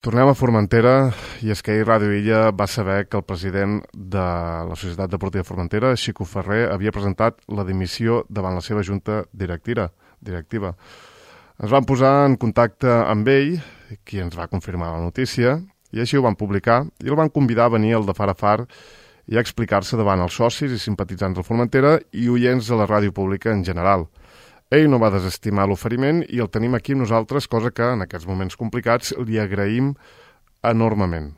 Tornem a Formentera, i és que ahir Ràdio Illa va saber que el president de la Societat Deportiva Formentera, Xico Ferrer, havia presentat la dimissió davant la seva junta directiva. Ens vam posar en contacte amb ell, qui ens va confirmar la notícia, i així ho van publicar, i el van convidar a venir al de Far a Far i a explicar-se davant els socis i simpatitzants del Formentera i oients de la ràdio pública en general. Ell no va desestimar l'oferiment i el tenim aquí amb nosaltres, cosa que en aquests moments complicats li agraïm enormement.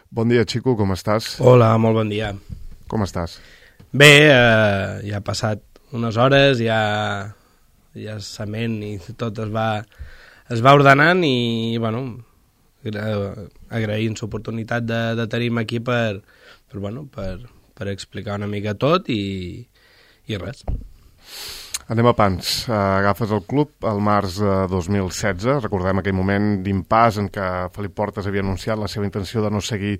Bon dia, Xico, com estàs? Hola, molt bon dia. Com estàs? Bé, ja ha passat unes hores, ja sement i tot es va ordenant i, bueno, agraïm l'oportunitat de tenir-me aquí per explicar una mica tot i res. Anem a pams. Agafes el club al març de 2016. Recordem aquell moment d'impàs en què Felip Portes havia anunciat la seva intenció de no seguir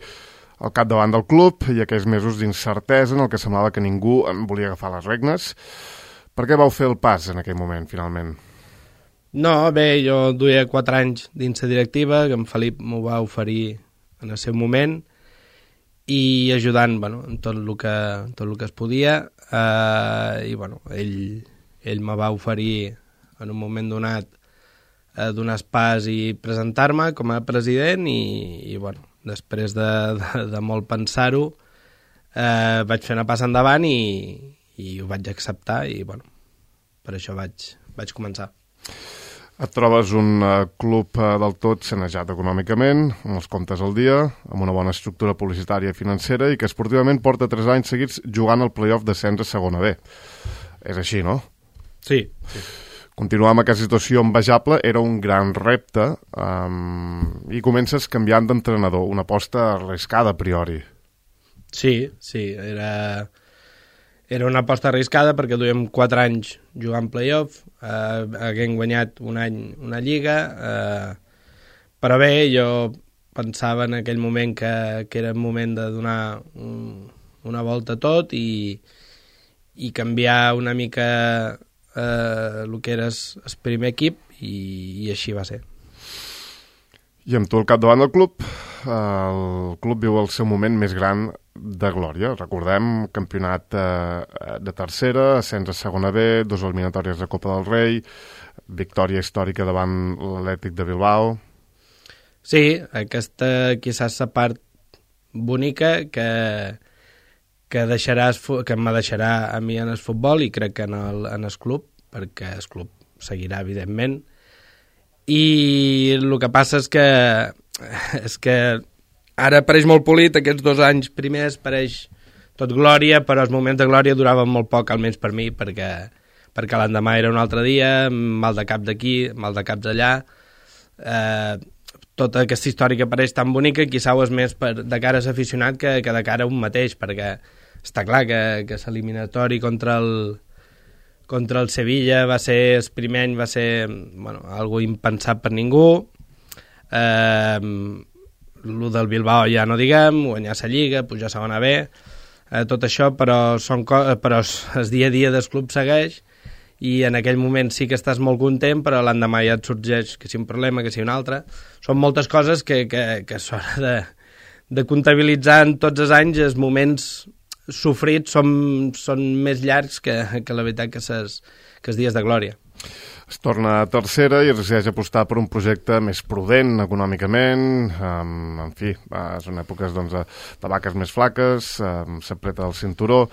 al capdavant del club i aquells mesos d'incertesa en el que semblava que ningú en volia agafar les regnes. Per què vau fer el pas en aquell moment, finalment? No, bé, jo duia 4 anys dins la directiva, que en Felip m'ho va oferir en el seu moment i ajudant en tot el que es podia i ell me va oferir en un moment donat donar pas i presentar-me com a president i després de molt pensar-ho vaig fer una passa endavant i ho vaig acceptar i per això vaig començar. Et trobes un club del tot sanejat econòmicament, amb els comptes al dia, amb una bona estructura publicitària i financera i que esportivament porta 3 anys seguits jugant al play-off d'ascens a segona B. És així, no? Sí. Continuar amb aquesta situació envejable era un gran repte i comences canviant d'entrenador, una aposta arriscada a priori. Sí, era una aposta arriscada perquè duíem 4 anys jugant play-off, haguem guanyat un any una lliga, però bé, jo pensava en aquell moment que era el moment de donar una volta a tot i canviar una mica el que era el primer equip i així va ser. I amb tu al capdavant del club, el club viu el seu moment més gran de glòria. Recordem, campionat de tercera, ascens a segona B, 2 eliminatòries de Copa del Rei, victòria històrica davant l'Atlètic de Bilbao. Sí, aquesta quizás la part bonica que me deixarà a mi en el futbol i crec que en el club, perquè el club seguirà, evidentment. I el que passa és que ara pareix molt polit, aquests 2 anys primers pareix tot glòria, però els moments de glòria duraven molt poc, almenys per mi, perquè l'endemà era un altre dia, mal de cap d'aquí, mal de cap d'allà. Tota aquesta història que pareix tan bonica, quizá ho és més de cara a l'aficionat que de cara a un mateix, perquè està clar que l'eliminatori contra el Sevilla va ser, el primer any va ser algo impensat per ningú. El del Bilbao ja no diguem, guanyar la Lliga, pujar a segona B, tot això, però el dia a dia del club segueix i en aquell moment sí que estàs molt content, però l'endemà ja et sorgeix que si un problema, que si un altre. Són moltes coses que s'haurà de comptabilitzar en tots els anys. Els moments sofrits són més llargs que la veritat que els dies de glòria. Es torna a tercera i es decideix apostar per un projecte més prudent econòmicament, en fi, són èpoques de vaques més flaques, s'apreta el cinturó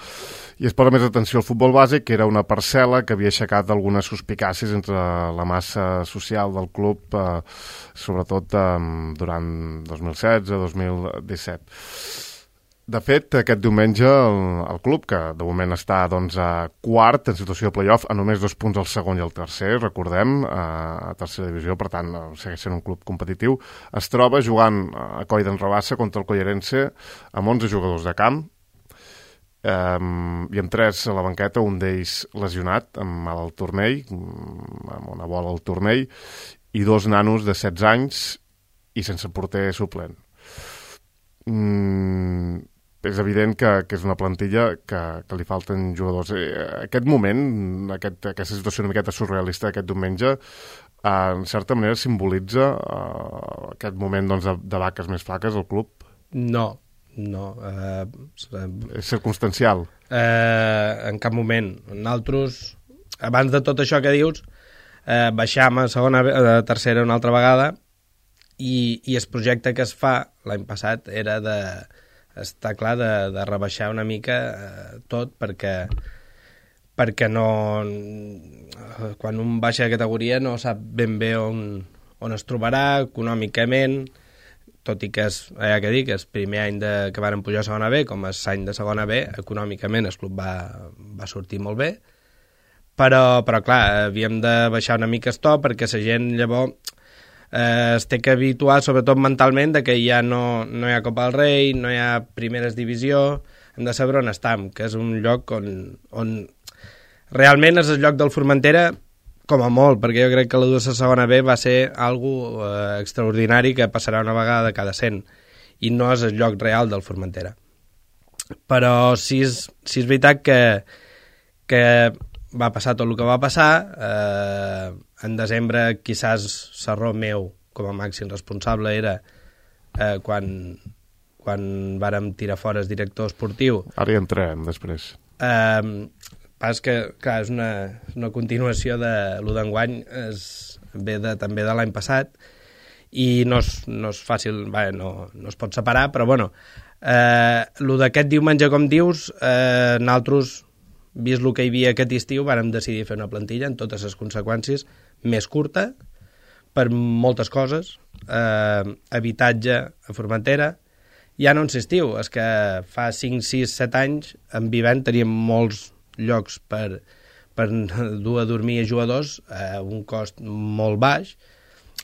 i es posa més atenció al futbol bàsic, que era una parcel·la que havia aixecat algunes suspicàcies entre la massa social del club, sobretot durant 2016-2017. De fet, aquest diumenge el club, que de moment està quart en situació de play-off, a només 2 punts al segon i al tercer, recordem, a tercera divisió, per tant, segueix sent un club competitiu, es troba jugant a Coll d'en Rabassa contra el Collerense amb 11 jugadors de camp i amb 3 a la banqueta, un d'ells lesionat, amb mal al turmell, amb una bola al turmell, i 2 nanos de 16 anys i sense porter suplent. És evident que és una plantilla que li falten jugadors. Aquest moment, aquesta situació una miqueta surrealista d'aquest diumenge, en certa manera simbolitza aquest moment doncs, de vaques més flaques al club? No. És circumstancial? En cap moment. Nosaltres, abans de tot això que dius, baixam a tercera una altra vegada i el projecte que es fa l'any passat era està clar de rebaixar una mica tot perquè no, quan un baixa de categoria no sap ben bé on es trobarà econòmicament, tot i que és el primer any que varen pujar a segona B, com és any de segona B, econòmicament el club va sortir molt bé, però clar, havíem de baixar una mica el to perquè la gent llavors es té que habituar, sobretot mentalment, de que ja no hi ha Copa del Rei, no hi ha primeres divisió, hem de saber on estem, que és un lloc on realment és el lloc del Formentera, com a molt, perquè jo crec que la segona B va ser algo extraordinari que passarà una vegada cada 100, i no és el lloc real del Formentera. Però sí és veritat que va passar tot el que va passar. En desembre, quizás, l'error meu com a màxim responsable era quan vàrem tirar fora el director esportiu. Ara hi entrem, després. Pas que, clar, és una continuació de lo d'enguany, ve també de l'any passat, i no és fàcil, no es pot separar, però bueno, lo d'aquest diumenge, com dius, nosaltres, vist el que hi havia aquest estiu, vàrem decidir fer una plantilla en totes les conseqüències, més curta, per moltes coses, habitatge a Formentera, ja no en l'estiu, és que fa 5, 6, 7 anys, en Vivent teníem molts llocs per dur a dormir a jugadors a un cost molt baix.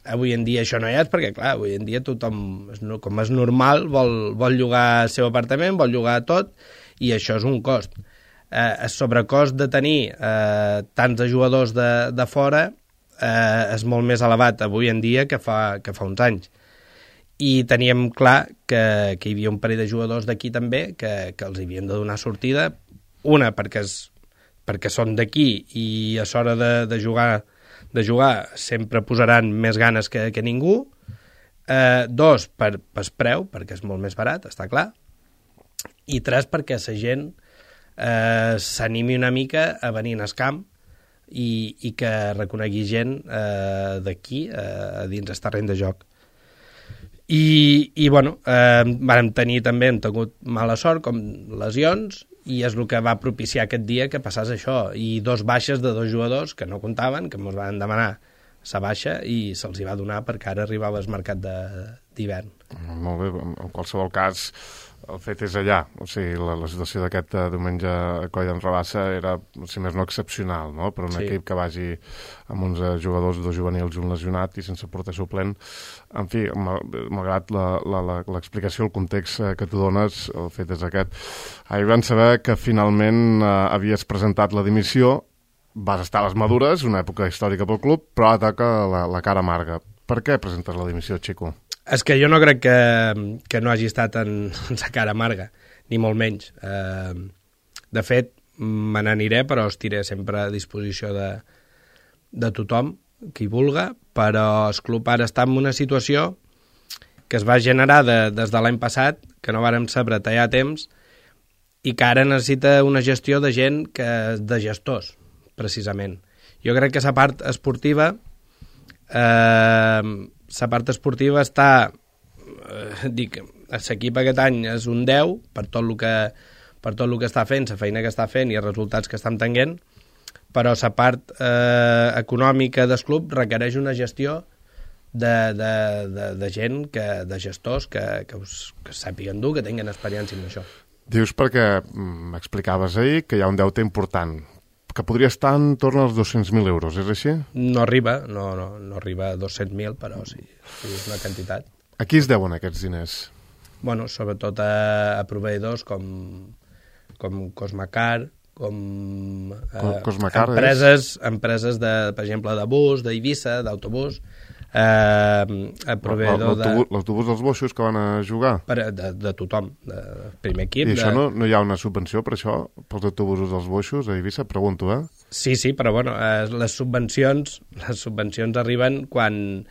Avui en dia això no hi és, perquè clar, avui en dia tothom, com és normal, vol llogar el seu apartament, vol llogar tot, i això és un cost. El sobrecost de tenir tants de jugadors de fora és molt més elevat avui en dia que fa uns anys. I teníem clar que hi havia un parell de jugadors d'aquí també que els havien de donar sortida, una perquè són d'aquí i a l'hora de jugar sempre posaran més ganes que ningú, dos per preu, perquè és molt més barat, està clar, i tres perquè la gent s'animi una mica a venir al camp i que reconegui gent d'aquí dins el terreny de joc. I bueno, hem tingut mala sort, com lesions, i és el que va propiciar aquest dia que passés això, i dos baixes de dos jugadors que no comptaven, que ens van demanar la baixa i se'ls hi va donar perquè ara arribava el mercat d'hivern. Molt bé, en qualsevol cas el fet és allà, o sigui, la situació d'aquest diumenge a Coll d'en Rabassa era, si més no, excepcional, no? Per un equip que vagi amb 11 jugadors, 2 juvenils i un lesionat i sense porter suplent. En fi, malgrat l'explicació, el context que tu dones, el fet és aquest. Ahir vam saber que finalment havies presentat la dimissió, vas estar a les madures, una època històrica pel club, però ara toca la cara amarga. Per què presentes la dimissió, Xico? És que jo no crec que no hagi estat en la cara amarga, ni molt menys. De fet, me n'aniré, però estiré sempre a disposició de tothom, qui vulga, però el club ara està en una situació que es va generar des de l'any passat, que no vàrem saber tallar temps, i que ara necessita una gestió de gent de gestors, precisament. Jo crec que la part esportiva està l'equip aquest any és un 10 per tot el que està fent, la feina que està fent i els resultats que estan tenint, però la part econòmica del club requereix una gestió de gent, de gestors que sàpiguen dur, que tinguin experiència en això. Dius perquè m'explicaves ahir que hi ha un deute important, que podria estar en torn als 200.000 euros, és així? No arriba a 200.000, però sí, és una quantitat. A qui es deuen aquests diners? Bueno, sobretot a proveïdors com Cosmacar, com Cosmacar empreses per exemple, de bus, d'Eivissa, d'autobús, proveïdor l'autobús dels boixos que van a jugar? De tothom, de primer equip. I això no hi ha una subvenció per això, pels autobusos dels boixos a Eivissa? Pregunto, Sí, però bueno, les subvencions arriben quan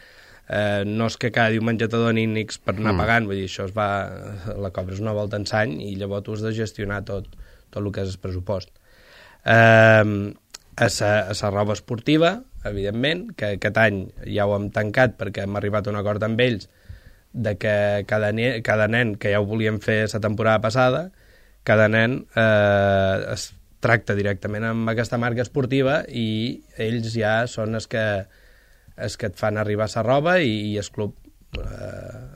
no és que cada diumenge te donin X per anar pagant, vull dir, això la cobres una volta en l'any i llavors tu has de gestionar tot el que és el pressupost. A la roba esportiva, evidentment, que aquest any ja ho hem tancat perquè hem arribat a un acord amb ells de que cada nen, que ja ho volíem fer la temporada passada, cada nen es tracta directament amb aquesta marca esportiva i ells ja són els que et fan arribar la roba i el club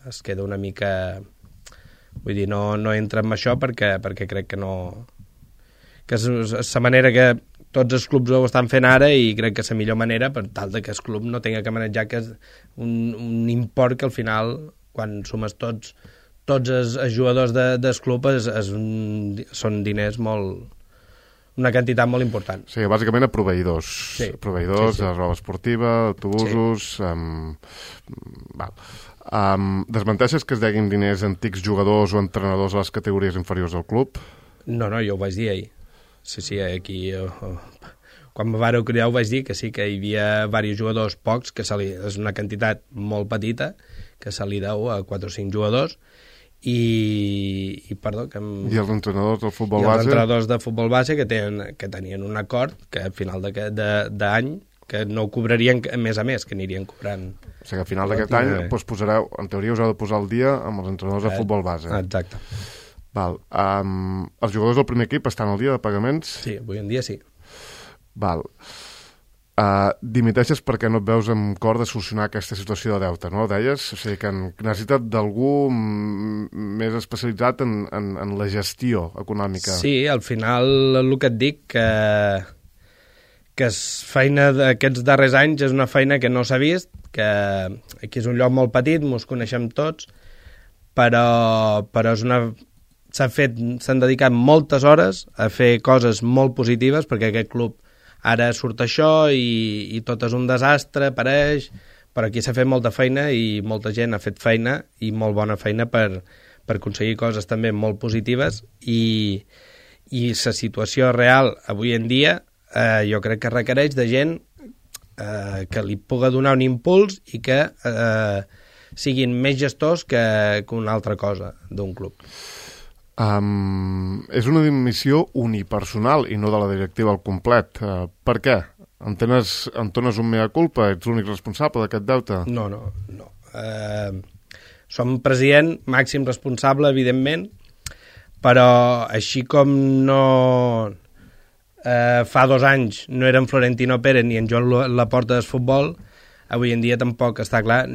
es queda una mica... Vull dir, no entra en això perquè crec que no... que és la manera que tots els clubs ho estan fent ara i crec que és la millor manera per tal que el club no tenga que manejar que és un import que al final, quan sumes tots els jugadors del club són diners molt... una quantitat molt important. Sí, bàsicament a proveïdors. Sí. Proveïdors de roba esportiva, autobusos... Desmenteixes que es deguin diners a antics jugadors o entrenadors a les categories inferiors del club? No, jo ho vaig dir ahir. Sí, aquí... Quan me vareu cridar ho vaig dir que sí, que hi havia diversos jugadors, pocs, que és una quantitat molt petita, que se li deu a 4 o 5 jugadors, i els entrenadors del futbol base? Els entrenadors de futbol base que tenien un acord que al final d'any que no ho cobrarien més a més, que anirien cobrant. O sigui, al final d'aquest any posareu, en teoria us heu de posar al dia amb els entrenadors de futbol base. Exacte. Val. Els jugadors del primer equip estan al dia de pagaments? Sí, avui en dia sí. Val. Dimiteixes perquè no et veus amb cor de solucionar aquesta situació de deute, no? Deies? O sigui, que necessitat d'algú més especialitzat en la gestió econòmica. Sí, al final el que et dic que és feina d'aquests darrers anys és una feina que no s'ha vist, que aquí és un lloc molt petit, mos coneixem tots, però s'han dedicat moltes hores a fer coses molt positives perquè aquest club ara surt això i tot és un desastre, pareix, però aquí s'ha fet molta feina i molta gent ha fet feina i molt bona feina per aconseguir coses també molt positives i la situació real avui en dia jo crec que requereix de gent que li pugui donar un impuls i que siguin més gestors que una altra cosa d'un club. És una dimissió unipersonal i no de la directiva al complet. Per què? Entones un mea culpa? Ets l'únic responsable d'aquest deute? No. Som president, màxim responsable, evidentment, però així com no... fa 2 anys no eren Florentino Pérez ni en Joan Laporta del futbol, avui en dia tampoc està clar.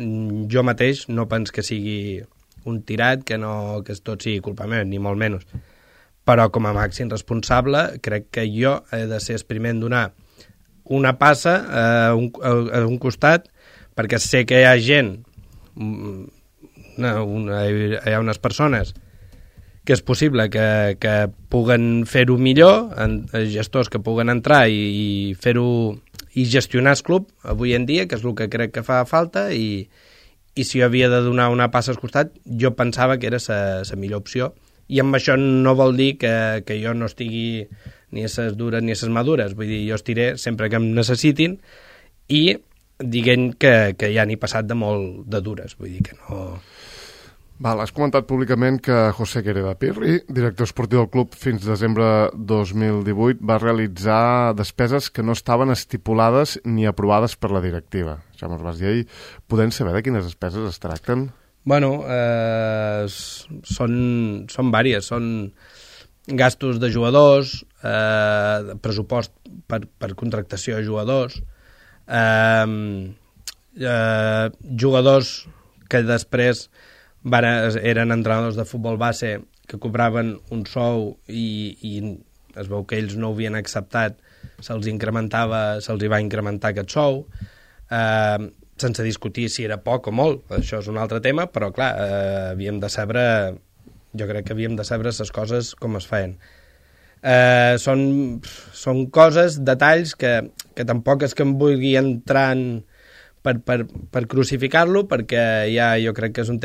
Jo mateix no penso que sigui un tirat, que tot sigui culpa meva, ni molt menys. Però com a màxim responsable crec que jo he de ser el primer en donar una passa a un costat, perquè sé que hi ha gent, hi ha unes persones que és possible que puguen fer-ho millor, gestors que puguen entrar i fer-ho i gestionar el club avui en dia, que és el que crec que fa falta, i si jo havia de donar una passa al costat, jo pensava que era la millor opció. I amb això no vol dir que jo no estigui ni a ses dures ni a ses madures. Vull dir, jo estiré sempre que em necessitin i diguem que ja n'he passat de molt de dures. Vull dir que no... Val, has comentat públicament que José Quereda Pirri, director esportiu del club fins desembre 2018, va realitzar despeses que no estaven estipulades ni aprovades per la directiva. Ja mos vas dir ahir. Podem saber de quines despeses es tracten? Bueno, són vàries. Són gastos de jugadors, pressupost per contractació de jugadors, jugadors que després eren entrenadors de futbol base que cobraven un sou i es veu que ells no ho havien acceptat, se'ls va incrementar aquest sou, sense discutir si era poc o molt, això és un altre tema, però clar, jo crec que havíem de saber les coses com es feien. Són coses, detalls que tampoc és que em vulgui entrar per crucificar-lo, perquè ja jo crec que és un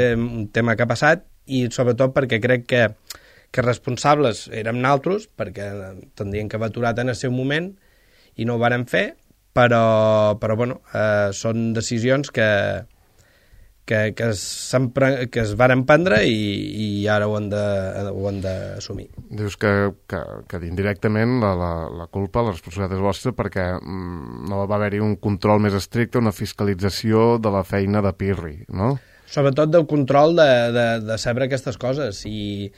tema que ha passat i sobretot perquè crec que responsables érem naltros, perquè tindrien que haver aturat en el seu moment i no ho vàrem fer, però bueno, són decisions que es varen prendre i ara ho han d'assumir. Dius que indirectament la culpa, la responsabilitat és vostra perquè no va haver-hi un control més estricte, una fiscalització de la feina de Pirri, no? Sobretot del control de saber aquestes coses. Si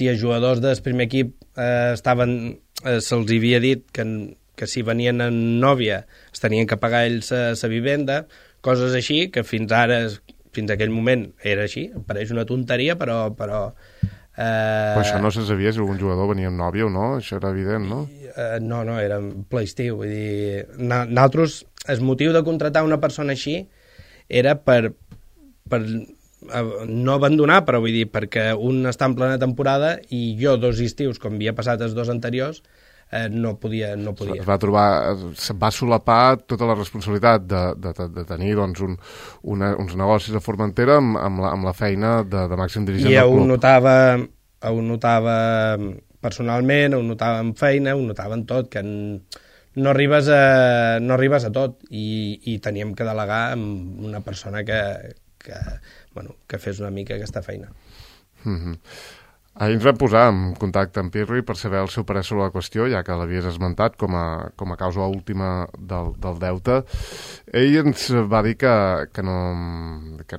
els jugadors del primer equip se'ls havia dit que si venien en nòvia es tenien que pagar ells la vivenda, coses així que fins aquell moment era així. Em pareix una tonteria, però Però això no se sabia si algun jugador venia amb nòvia o no? Això era evident, no? No, era en ple estiu. Vull dir, nosaltres, el motiu de contractar una persona així era per no abandonar, però vull dir, perquè un està en plena temporada i jo 2 estius, com havia passat els 2 anteriors, no podia. Se va solapar tota la responsabilitat de tenir doncs, uns negocis a Formentera amb la feina de màxim dirigent del club. Ho notava personalment, ho notava en feina, ho notava en tot, que no arribes a tot i teníem que delegar amb una persona que fes una mica aquesta feina. Ahir ens vam posar en contacte amb Pirri per saber el seu parer sobre la qüestió, ja que l'havies esmentat com a causa última del deute. Ell ens va dir que no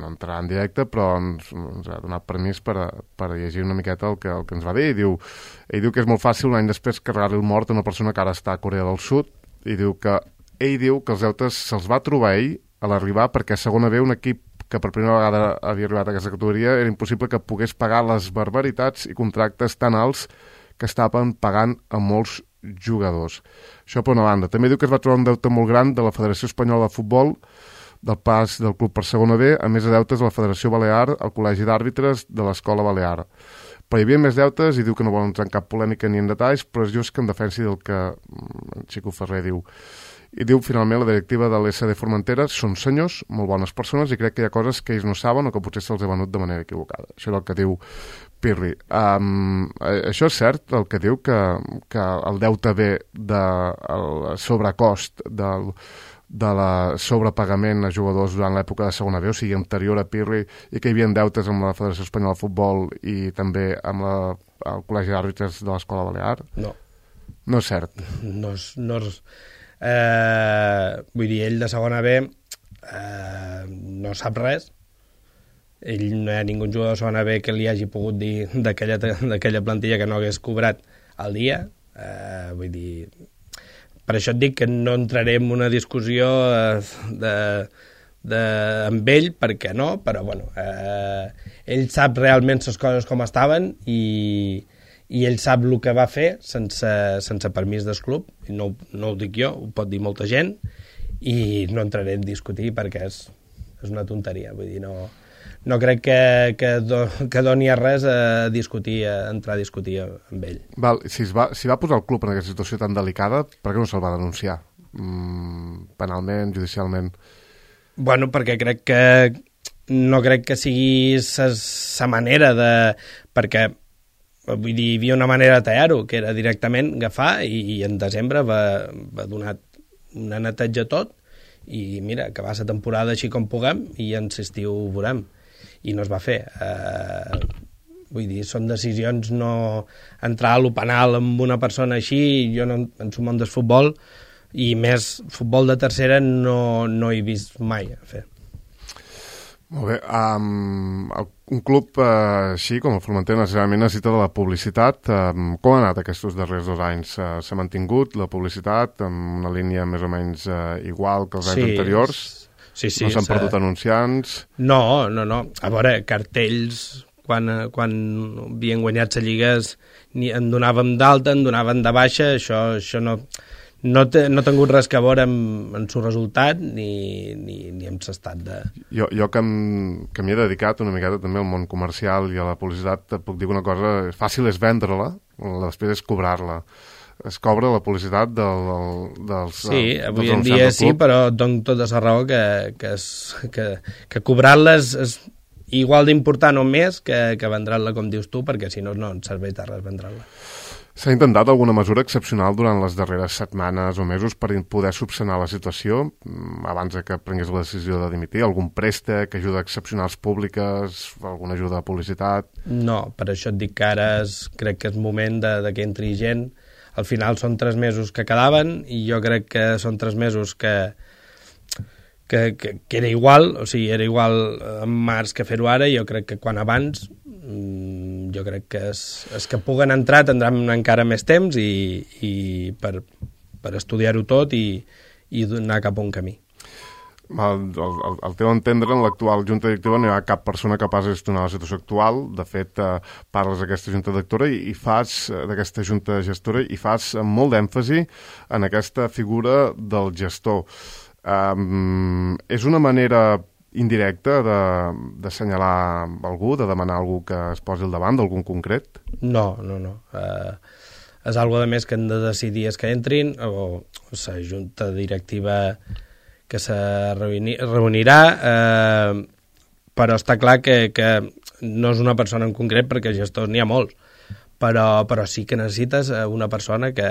entrarà en directe, però ens ha donat permís per llegir una miqueta el que ens va dir. Ell diu que és molt fàcil un any després carregar-li el mort a una persona que ara està a Corea del Sud, i ell diu que els deutes se'ls va trobar ell a l'arribar perquè a segona B un equip que per primera vegada havia arribat a aquesta categoria era impossible que pogués pagar les barbaritats i contractes tan alts que estaven pagant a molts jugadors. Això per una banda. També diu que es va trobar un deute molt gran de la Federació Espanyola de Futbol, del pas del club per segona B, a més de deutes de la Federació Balear, el Col·legi d'Àrbitres de l'Escola Balear. Però hi havia més deutes i diu que no vol entrar en cap polèmica ni en detalls, però és just que en defensi del que en Xico Ferrer diu. I diu, finalment, la directiva de l'SD Formentera són senyors, molt bones persones, i crec que hi ha coses que ells no saben o que potser se'ls ha venut de manera equivocada. Això és el que diu Pirri. Això és cert, el que diu, que el deute ve del sobrecost de la sobrepagament a jugadors durant l'època de segona B, o sigui, anterior a Pirri, i que hi havia deutes amb la Federació Espanyola de Futbol i també amb el Col·legi d'Àrbitres de l'Escola Balear? No. No és cert? No és... vull dir, ell de segona B no sap res. Ell no hi ha ningú jugador de segona B que li hagi pogut dir d'aquella plantilla que no hagués cobrat al dia. Vull dir, per això et dic que no entraré en una discussió amb ell, perquè no, però bueno, ell sap realment les coses com estaven i ell sap el que va fer sense permís del club, i no ho dic jo, ho pot dir molta gent, i no entraré en discutir perquè és una tonteria. Vull dir, no crec que doni a res a entrar a discutir amb ell. Val, si va posar el club en aquesta situació tan delicada, per què no se'l va denunciar? Penalment, judicialment? Bueno, perquè no crec que sigui sa manera de... Perquè vull dir, hi havia una manera de tallar-ho, que era directament agafar i en desembre va donar una neteja tot i mira, acabar la temporada així com puguem i en l'estiu ho veurem. I no es va fer. Vull dir, són decisions, no entrar a lo penal amb una persona així, jo no, en el món del futbol, i més futbol de tercera no he vist mai a fer. Molt bé. Un club així com el Formentera necessàriament necessita de la publicitat. Com ha anat aquests darrers 2 anys? S'ha mantingut la publicitat en una línia més o menys igual que els anys anteriors? Sí, no s'han perdut anunciants? No. A veure, cartells, quan havien guanyat la Lliga, en donàvem d'alta, en donaven de baixa, això no ha tingut res que veure amb el seu resultat ni amb l'estat de... Jo que m'hi he dedicat una miqueta també al món comercial i a la publicitat, et puc dir una cosa, fàcil és vendre-la, després és cobrar-la. Es cobra la publicitat dels sí, avui en dia sí, però et dono tota la raó que cobrar-la és igual d'important o més que vendre-la, com dius tu, perquè si no, no et serveix de res vendre-la. S'ha intentat alguna mesura excepcional durant les darreres setmanes o mesos per poder subsanar la situació abans que prengués la decisió de dimitir? Algun préstec, ajuda excepcionals públiques, alguna ajuda de publicitat? No, per això et dic que ara crec que és moment de que entri gent. Al final són 3 mesos que quedaven i jo crec que són 3 mesos que era igual, o sigui, era igual en març que fer-ho ara, i jo crec que quan abans jo crec que és que puguen entrar tindran encara més temps i per estudiar-ho tot i anar cap a un camí. Al teu entendre, en l'actual junta directiva no hi ha cap persona capaç de gestionar la situació actual. De fet, parles d'aquesta junta directora i fas d'aquesta junta gestora i fas molt d'èmfasi en aquesta figura del gestor. És una manera indirecta d'assenyalar algú, de demanar a algú que es posi al davant d'algun concret? No. És algo de més que hem de decidir és que entrin, o la junta directiva que se reunirà, però està clar que no és una persona en concret, perquè gestors n'hi ha molts, però sí que necessites una persona que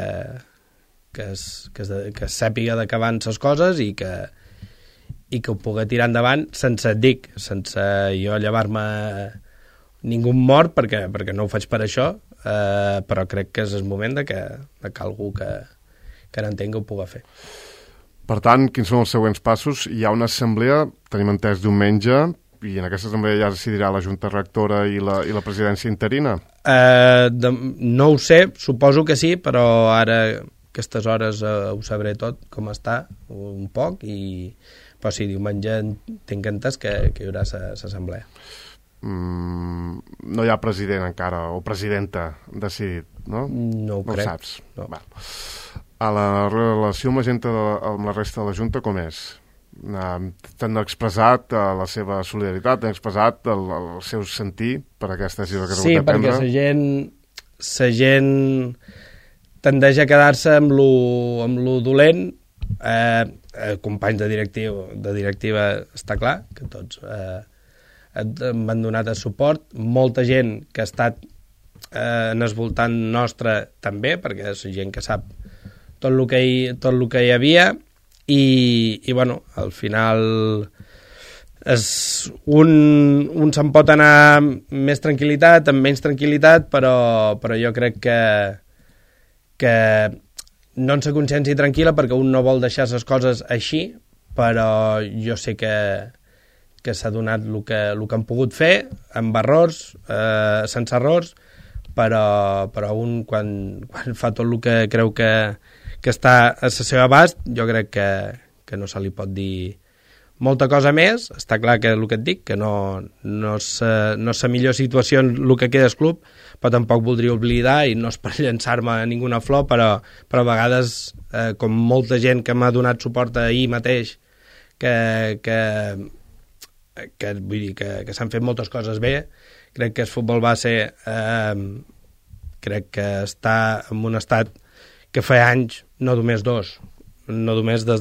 sàpiga de què van les coses i que ho pugui tirar endavant sense jo llevar-me ningú mort, perquè no ho faig per això, però crec que és el moment que algú que n'entengui ho pugui fer. Per tant, quins són els següents passos? Hi ha una assemblea, tenim entès, diumenge, i en aquesta assemblea ja decidirà la junta rectora i la presidència interina? No ho sé, suposo que sí, però ara aquestes hores ho sabré tot, com està, un poc, però sí, diumenge tinc entès que hi haurà l'assemblea. No hi ha president encara, o presidenta decidit, no? No ho crec. No ho saps? No. Va. A la relació amb la resta de la Junta, com és? T'han expressat la seva solidaritat, t'han expressat el seu sentir per aquesta decisió que s'ha hagut de prendre? Sí, perquè la gent tendeix a quedar-se amb lo dolent. Companys de directiva està clar, que tots han donat el suport. Molta gent que ha estat en el voltant nostre també, perquè és gent que sap tot el que hi havia i bueno, al final un se'n pot anar amb més tranquil·litat, amb menys tranquil·litat, però jo crec que no en sa consciència tranquil·la, perquè un no vol deixar les coses així, però jo sé que s'ha donat el que han pogut fer, amb errors, sense errors, però un quan fa tot el que creu que està a la seva abast, jo crec que no se li pot dir molta cosa més. Està clar que el que et dic, que no és la millor situació en el que queda el club, però tampoc voldria oblidar, i no és per llançar-me a ninguna flor, però a vegades, com molta gent que m'ha donat suport ahir mateix, vull dir, que s'han fet moltes coses bé, crec que el futbol base crec que està en un estat que fa anys, no només des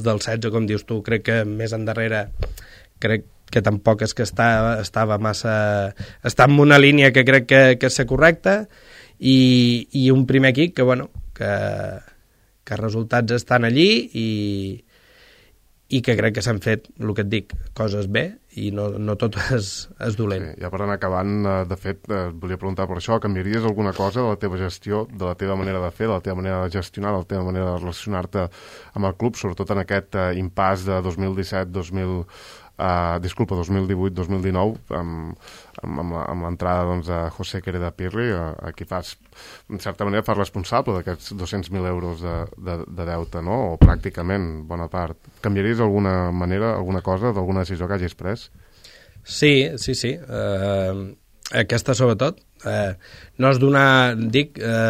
del 16, com dius tu, crec que més endarrere, crec que tampoc és que estava massa... Està en una línia que crec que és correcta, i un primer equip que els resultats estan allí i que crec que s'han fet, el que et dic, coses bé, i no tot és dolent. Sí, ja per anar acabant, de fet, volia preguntar per això, canviaries alguna cosa de la teva gestió, de la teva manera de fer, de la teva manera de gestionar, de la teva manera de relacionar-te amb el club, sobretot en aquest impàs de 2018-2019, amb l'entrada de José Quereda Pirri, a qui en certa manera, fas responsable d'aquests 200.000 euros de deute, no? O pràcticament, bona part. Canviaries alguna manera, alguna cosa, d'alguna decisió que hagis pres? Sí. Aquesta sobretot. No és donar,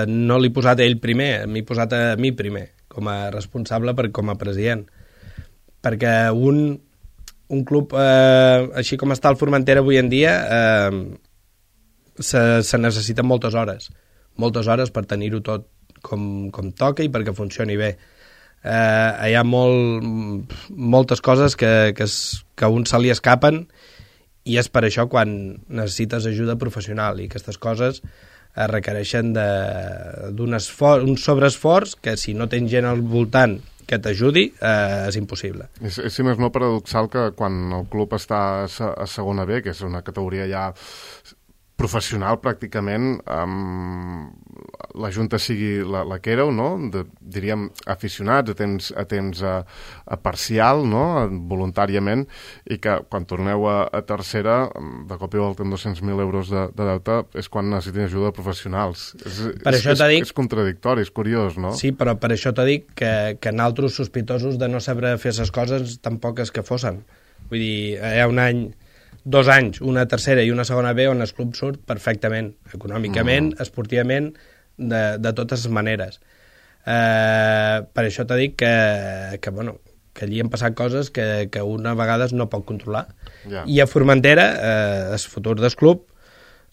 no l'he posat a ell primer, m'he posat a mi primer, com a responsable, com a president. Perquè un club, així com està el Formentera avui en dia, se necessiten moltes hores per tenir-ho tot com toca i perquè funcioni bé. Hi ha moltes coses que a un se li escapen, i és per això quan necessites ajuda professional, i aquestes coses requereixen un sobreesforç que si no tens gent al voltant que t'ajudi, és impossible. És, si més no, paradoxal que quan el club està a segona B, que és una categoria ja professional pràcticament, la Junta sigui la que éreu, no? Diríem aficionats, a temps parcial, no? Voluntàriament, i que quan torneu a tercera, de cop i volta amb 200.000 euros de deute, és quan necessitin ajuda de professionals. És contradictori, és curiós, no? Sí, però per això t'ho dic que naltros sospitosos de no saber fer les coses tampoc és que fossin. Vull dir, hi ha un any, 2 anys, una tercera i una segona B on el club surt perfectament, econòmicament, esportivament, de totes les maneres. Per això t'he dit que allí han passat coses que una vegades no pot controlar. Yeah. I a Formentera, el futur del club,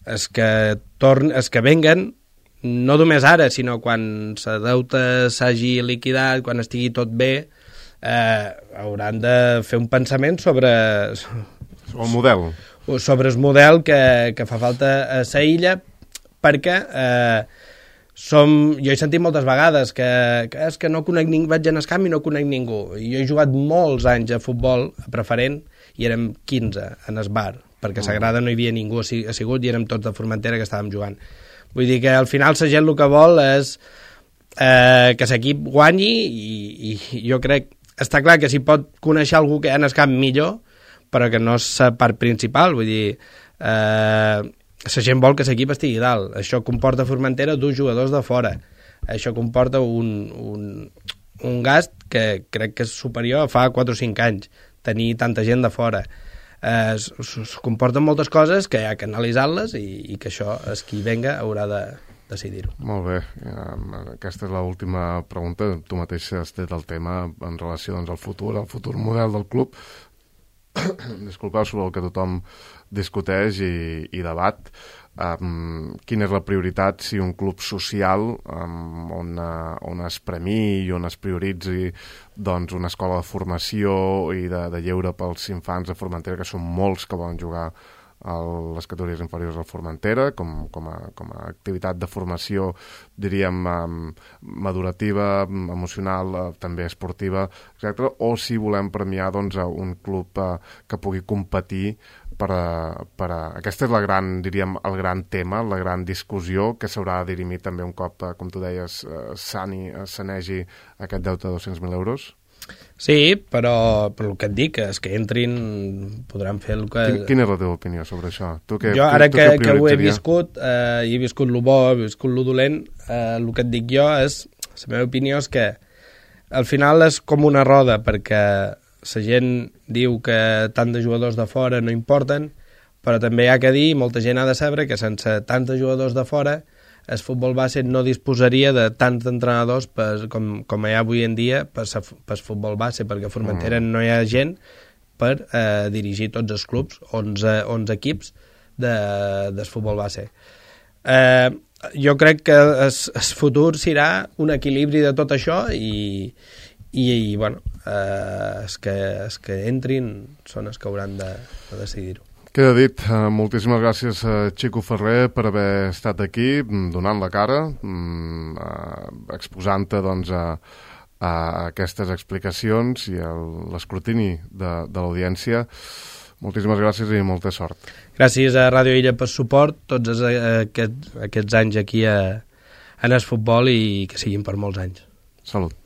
és que venguen, no només ara, sinó quan la deuta s'hagi liquidat, quan estigui tot bé, hauran de fer un pensament sobre el model. Sobre el model que fa falta a la illa, perquè jo he sentit moltes vegades que és que no conec ningú, vaig anar al camp i no conec ningú. Jo he jugat molts anys a futbol a preferent i érem 15 en el bar, perquè a Sagrada no hi havia ningú assigut i érem tots de Formentera que estàvem jugant. Vull dir que al final la gent el que vol és que l'equip guanyi i jo crec, està clar que si pot conèixer algú que en el camp millor, però que no és la part principal, vull dir, la gent vol que l'equip estigui dalt. Això comporta a Formentera 2 jugadors de fora. Això comporta un gast que crec que és superior a fa 4 o 5 anys, tenir tanta gent de fora. Comporten moltes coses que hi ha que analitzar-les i que això, és qui venga, haurà de decidir-ho. Molt bé. Aquesta és l'última pregunta. Tu mateix has tret el tema en relació al futur model del club. Disculpeu, sobre el que tothom discuteix i debat. Quina és la prioritat si un club social on es premiï i on es prioritzi doncs, una escola de formació i de lleure pels infants de Formentera, que són molts que volen jugar a les categories inferiors del Formentera, com a activitat de formació, diríem, madurativa, emocional, també esportiva, etc. O si volem premiar doncs, un club que pugui competir aquesta és el gran tema, la gran discussió que s'haurà de dirimir també un cop, com tu deies, sanegi aquest deute de 200.000 euros. Sí, però el que et dic és que entrin, podran fer el que... Quina és la teva opinió sobre això? Jo, ara que ho he viscut, i he viscut el bo, he viscut el dolent, el que et dic jo és, la meva opinió és que al final és com una roda, perquè la gent diu que tant de jugadors de fora no importen, però també hi ha que dir, molta gent ha de saber que sense tants de jugadors de fora el futbol base no disposaria de tants entrenadors com hi ha avui en dia per futbol base, perquè a Formentera no hi ha gent per dirigir tots els clubs, 11 equips del futbol base. Jo crec que el futur serà un equilibri de tot això i bueno, els que entrin són els que hauran de decidir-ho. Queda dit. Moltíssimes gràcies a Xico Ferrer per haver estat aquí, donant la cara, exposant-te doncs, a aquestes explicacions i a l'escrutini de l'audiència. Moltíssimes gràcies i molta sort. Gràcies a Ràdio Illa per suport tots aquests anys aquí en el futbol i que siguin per molts anys. Salut.